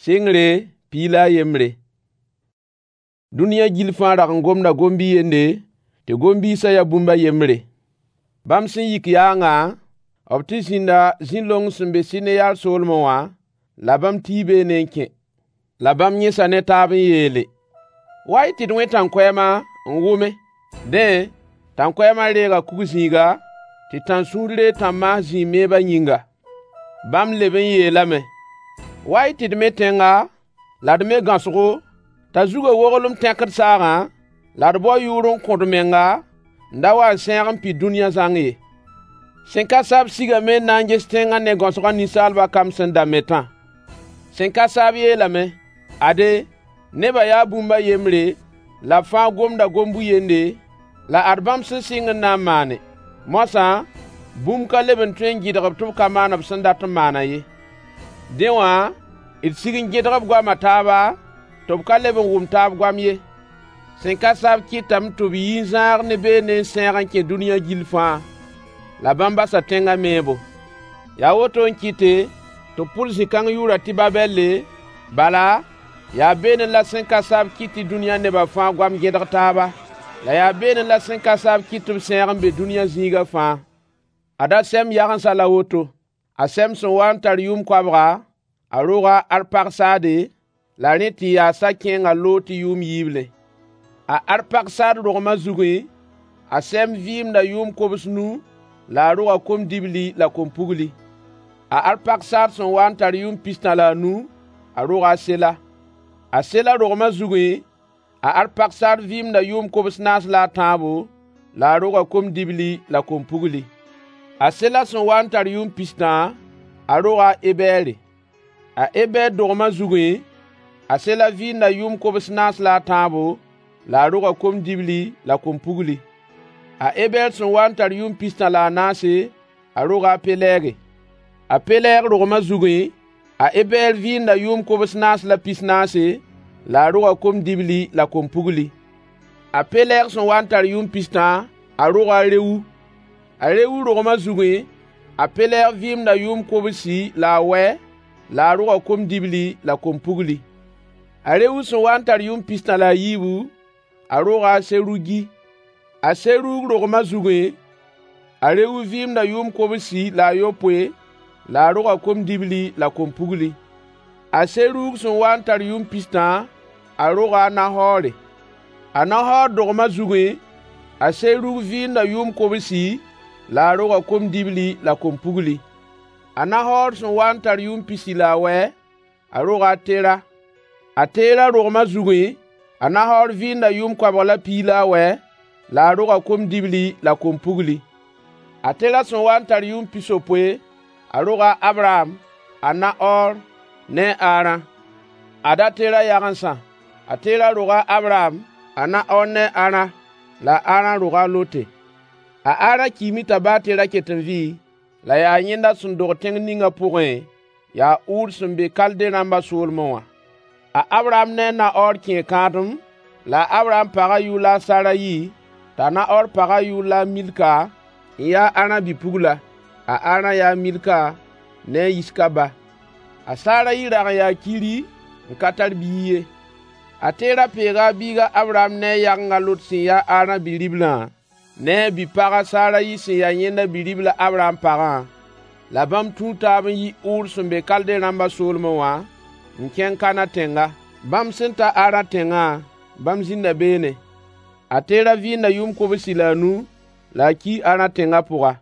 Sɩngre 11. Dũniyã gill fãa rag n gomda gom-bi-yende, tɩ gom-biisã ya bũmb a yembre. Bãmb sẽn yik yaangã, b tɩ zĩnda zĩ-long sẽn be Sɩneyar soolmẽ wã, la bãmb tii beene n kẽ. La bãmb yẽsa ne taab n yeele: Wa-y tɩ d wẽ tãnkoɛɛma n wʋme. Dẽ, tãnkoɛɛmã reega kug-zĩiga, tɩ tãn-sũur reeg tãn-maas zĩig meebã yĩnga. Bãmb leb n yeelame: Wa-y tɩ d me tẽnga, la d me gãosgo, t'a zugã woglem tẽkd saagã, la d bao yʋʋr n kõ d menga, n da wa n sẽeg n pid dũniyã zãng ye. Sẽn ka sa-b sigame n na n ges tẽngã ne gãosgã ninsaalbã kamb sẽn da metã. Sẽn ka sa-b yeelame: Ade, nebã yaa bũmb a yembre, la b fãa gomda gom-bu-yende, la ad bãmb sẽn sɩng n na n maane. Moasã, bũmb ka leb n tõe n gɩdg-b tɩ b ka maan b sẽn dat n maanã ye. Dẽ wã, d sig n gẽdg b goam a taaba, tɩ b ka leb n wʋm taab goam ye. Sẽn ka sa-b kɩtame tɩ b yi n zãag ne beene n sẽeg n kẽ dũniyã gill fãa. La bãmb basa tẽngã meebo. Yaa woto n kɩte tɩ b pʋd zĩ-kãng yʋʋra tɩ Babɛlle, bala, yaa beene la sẽn ka sa-b kɩt tɩ dũniyã nebã fãa goam gẽdg taaba. La yaa beene la sẽn ka sa-b kɩt tɩ b sẽeg n be dũniyã zĩiga fãa. Ad a Sɛm yagensã la woto: A Sɛm sẽn waa n tar yʋʋm koabga, a roga a Arpaksaade, la rẽ tɩ yaasa kẽnga loog tɩ yʋʋm yiiblẽ. A Arpaksaad rogmã zugẽ, a Sɛm vɩɩmda yʋʋm kobs-nu la a roga kom-dibli la kom-pugli. A Arpaksaad sẽn waa n tar yʋʋm pistã la a nu, a roga a Sela. A Sela rogmã zugẽ, a Arpaksaad vɩɩmda yʋʋm kobs-naas la a tãabo, la a roga kom-dibli la kom-pugli. A Sela sẽn waa n tar yʋʋm pistã, a roga a Ebɛɛre. A Ebɛɛr dogmã zugẽ, a Sela vɩɩnda yʋʋm kobs-naas la a tãabo, la a roga kom-dibli la kom-pugli. A Ebɛɛr sẽn waa n tar yʋʋm pistã la a naase, a roga a Pelɛɛge. A Pelɛɛg rogmã zugẽ, a Ebɛɛr vɩɩnda yʋʋm kobs-naas la pis-naase, la a roga kom-dibli la kom-pugli. A Pelɛɛg sẽn waa n tar yʋʋm pistã, a roga a Rewu. A Rewu rogmã zugẽ, a Pelɛɛg vɩɩmda yʋʋm kobsi la a wɛ, la a roga kom-dibli la kom-pugli. A Rewu sẽn waa n tar yʋʋm pistã la a yiibu, a roga a Serugi. A Serug rogmã zugẽ, a Rewu vɩɩmda yʋʋm kobsi la a yopoe, la a roga kom-dibli la kom-pugli. A Serug sẽn waa n tar yʋʋm pistã, a roga a Nahoore. A Nahoor dogmã zugẽ, a Serug vɩɩnda yʋʋm kobsi, la a roga kom-dibli la kom-pugli. A Nahoor sẽn waa n tar yʋʋm pisi la a wɛ, a roga a Tera. A Tera rogmã zugẽ, a Nahoor vɩɩnda yʋʋm koabg la piig la a wɛ, la a roga kom-dibli la kom-pugli. A Tera sẽn waa n tar yʋʋm pisopoe, a roga a Abraham, a Nahoor ne a Arã. Ad a Tera yagensã: A Tera roga a Abraham, a Nahoor ne a Arã, la a Arã roga a Lote. A Arã kiime t'a ba a Tera ket n vɩ, la yaa yẽnda sẽn dog tẽng ninga pʋgẽ, yaa Ur sẽn be Kalde rãmbã soolmẽ wã. A Abraham ne a Nahoor kẽe kãadem, la a Abraham pagã yʋʋr la a Sarayi, t'a Nahoor pagã yʋʋr la a Milka, n ya a Arã bi-pugla. A Arã yaa a Milka ne a Yiska ba. A Sarayi rag n yaa kiri n ka tar biig ye. A Tera peega a biig a Abraham ne a yageng a Lot sẽn ya a Arã bi-riblã, ne a bi-pag a Sarayi sẽn ya yẽnda bi-ribl a Abraham pagã, la bãmb tũu taab n yi Ur sẽn be Kalde rãmbã soolmẽ wã, n kẽng Kanã tẽnga. Bãmb sẽn ta Arã tẽngã, bãmb zĩnda beene. A Tera vɩɩnda yʋʋm kobsi la a nu, la a kii Arã tẽngã pʋga.